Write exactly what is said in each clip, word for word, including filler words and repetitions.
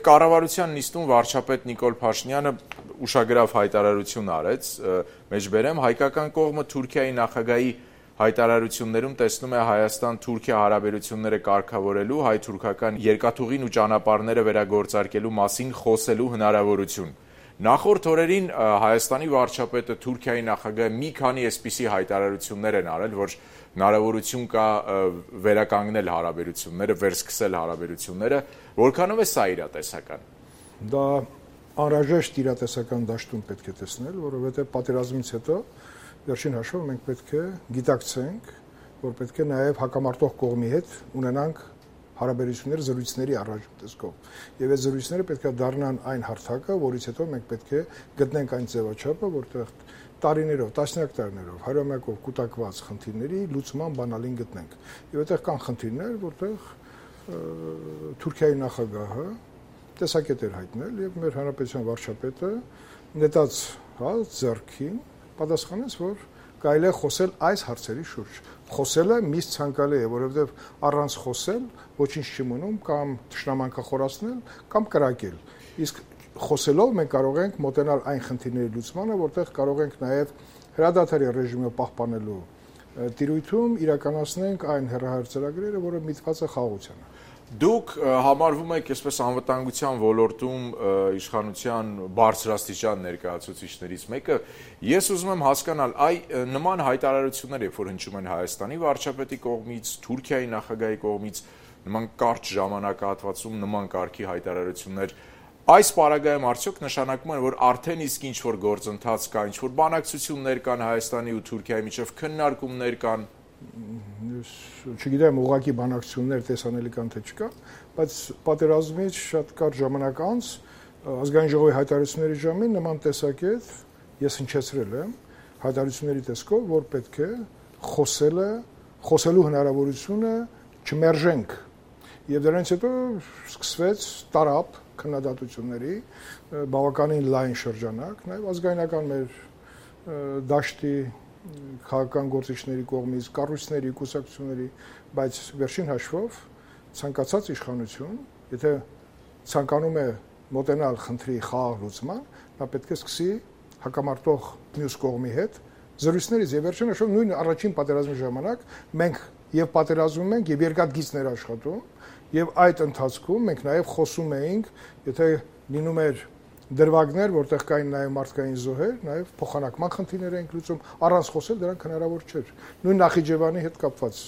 Կառավարության նիստում վարչապետ Նիկոլ Փաշինյանը ուշագրավ հայտարարություն արեց, մեջբերեմ, հայկական կողմը Թուրքիայի նախագահի հայտարարություններում տեսնում է Հայաստան-Թուրքիա հարաբերությունները կարգավորելու, հայ-թուրքական երկաթուղին ու ճանապարհները վերագործարկելու մասին խոսելու հնարավորություն։ Նախորդ օրերին Հայաստանի վարչապետը Թուրքիայի նախագահը մի քանի այսպիսի հայտարարություններ են արել, որ հնարավորություն կա վերականգնել հարաբերությունները, վերսկսել հարաբերությունները, որքանով է սա իրատեսական։ Դա անհրաժեշտ իրատեսական դաշտում պետք է տեսնել, որովհետև պատերազմից հետո վերջին հաշվով մենք պետք է գիտակցենք, որ պետք է նաև հակամարտող կողմի հետ ունենանք հարաբերություններ զրույցների առաջ տեսքով։ Եվ այդ զրույցները պետք է դառնան այն հարթակը, որից հետո մենք պետք է գտնենք այն ձևաչափը, որտեղ տարիներով, տասնյակ տարիներով, հարյուրամյակով կուտակված խնդիրների լուծման բանալին գտնենք։ Եվ այդտեղ կան խնդիրներ, որտեղ Թուրքիայի նախագահը տեսակետ էր հայտնել եւ մեր հանրապետության վարչապետը նետած, հա, ձեռքին պատասխանեց, որ կարելի է խոսել այս հարցերի շուրջ։ Խոսելը միշտ ցանկալի է, որովհետև առանց խոսել ոչինչ չի մնում կամ թշնամանքը խորացնել կամ կրակել։ Իսկ խոսելով մենք կարող ենք մոտենալ այն խնդիրների լուծմանը, որտեղ կարող ենք նաև հրադադարի ռեժիմը պահպանելու տիրույթում իրականացնենք այն հեռահար ծրագրերը, որը միտված է խաղաղությանը։ Դուք համարվում եք այսպես անվտանգության ոլորտում իշխանության բարձրաստիճան ներկայացուցիչներից մեկը, ես ուզում եմ հասկանալ, այ նման հայտարարություններ, երբ որ հնչում են Հայաստանի վարչապետի կողմից, Թուրքիայի նախագահի կողմից, նման կարճ ժամանակահատվածում նման կարգի հայտարարություններ, այս պարագայում արդյոք նշանակում են, որ արդեն իսկ ինչ-որ գործընթաց կա, ինչ-որ բանակցություններ կան Հայաստանի ու Թուրքիայի միջև, քննարկումներ կան։ Չգիտեմ, ուղղակի բանակցություններ տեսանելի կան թե չկա, բայց պատերազմից շատ կարճ ժամանակ անց ազգային ժողովի հայտարարությունների ժամին նման տեսակետ ես հնչեցրել եմ հայտարարությունների տեսքով, որ պետք է խոսելը, խոսելու հնարավորությունը չմերժենք։ Եվ դրանից հետո սկսվեց տարապ քննադատությունների բավականին լայն շրջանակ, նաև ազգայնական մեր դաշտի քաղաքական գործիչների կողմից, կառույցների, կուսակցությունների, բայց վերջին հաշվով ցանկացած իշխանություն, եթե ցանկանում է մոտենալ խնդրի խաղաղ լուծման, նա պետք է սկսի հակամարտող մյուս կողմի հետ զրույցներից եւ վերջին հաշվով նույն առաջին պատերազմի ժամանակ մենք եւ պատերազմում ենք եւ երկաթգիծներ աշխատում եւ այդ ընթացքում մենք նաեւ խոսում էինք, եթե լինում էր դրվագներ, որտեղ կային նաև մարդկային զոհեր, նաև փոխանակման խնդիրներ ենք լուծում, առանց խոսել դրանք հնարավոր չէր։ Նույն Նախիջևանի հետ կապված,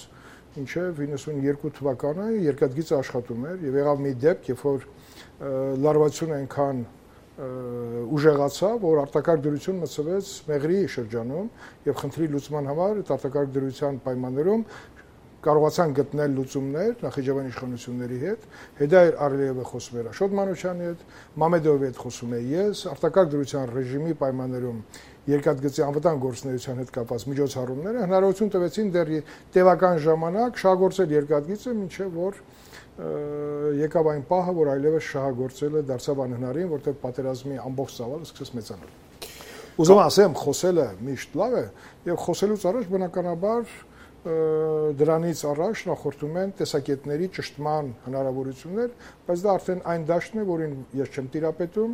ինչև իննսունյերկու թվականը երկաթգիծը աշխատում էր եւ եղավ մի դեպք, երբ որ լարվածությունը այնքան ուժեղացավ, որ արտակարգ դրություն մցվեց Մեղրիի շրջանում եւ խնդրի լուծման համար այդ արտակարգ դրության պայմաններում կարողացան գտնել լուծումներ Նախիջևանի իշխանությունների հետ, Հեդայր Ալիևը խոսում էր Աշոտ Մանուչյանի հետ, Մամեդովի հետ խոսում եմ ես, արտակարգ դրության ռեժիմի պայմաններում երկաթգծի անվտանգ գործունեության հետ կապված միջոցառումները հնարավորություն տվեցին դեռ տևական ժամանակ շահագործել երկաթգիծը, մինչև որ եկավ այն պահը, որ այլևս շահագործելը դարձավ անհնարին, որտեղ պատերազմի ամբողջ ծավալը սկսեց մեծանալ։ Ուզում ասեմ, խոսելը միշտ լավ է, եւ խոսելուց առաջ բնականաբար դրանից առաջ նախորդում են տեսակետների ճշտման հնարավորություններ, բայց դա արդեն այն դաշտն է, որին ես չեմ տիրապետում,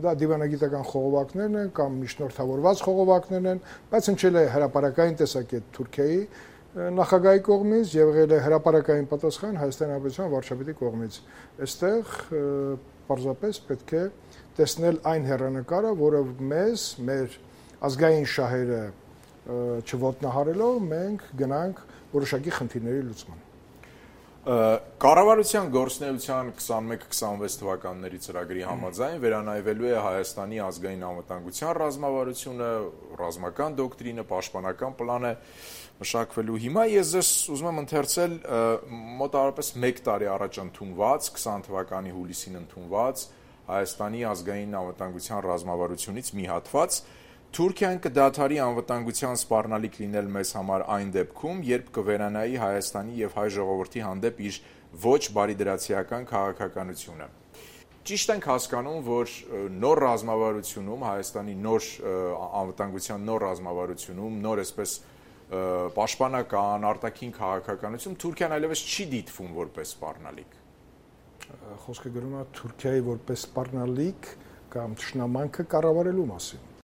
դա դիվանագիտական խողովակներն են կամ միջնորդավորված խողովակներն են, բայց հնչել է հրապարակային տեսակետ Թուրքիայի նախագահի կողմից եւ եղել է հրապարակային պատասխան Հայաստանի Հանրապետության վարչապետի կողմից։ Այստեղ պարզապես պետք է տեսնել այն հեռանկարը, որը մեզ, մեր ազգային շահերը չոտնահարելով մենք գնանք որոշակի խնդիրների լուծման։ Կառավարության գործունեության քսանմեկ քսանվեց թվականների ծրագրի համաձայն վերանայվելու է Հայաստանի ազգային անվտանգության ռազմավարությունը, ռազմական դոկտրինը, պաշտպանական պլանը մշակվելու։ Հիմա ես ձեզ ուզում եմ ընթերցել մոտավորապես մեկ տարի առաջ ընդունված, քսան թվականի հուլիսին ընդունված Հայաստանի ազգային անվտանգության ռազմավարությունից մի հատված, Թուրքիան կդադարի անվտանգության սպառնալիք լինել մեզ համար այն դեպքում, երբ կվերանայի Հայաստանի եւ հայ ժողովրդի հանդեպ իր ոչ բարիդրացիական քաղաքականությունը։ Ճիշտ ենք հասկանում, որ նոր ռազմավարությունում, Հայաստանի նոր անվտանգության նոր ռազմավարությունում, նոր այսպես պաշտպանական, արտաքին քաղաքականություն Թուրքիան այլևս չի դիտվում որպես սպառնալիք։ խոսքը գնում է Թուրքիայի որպես սպառնալիք կամ ճշնամանքը կառավարելու մասին։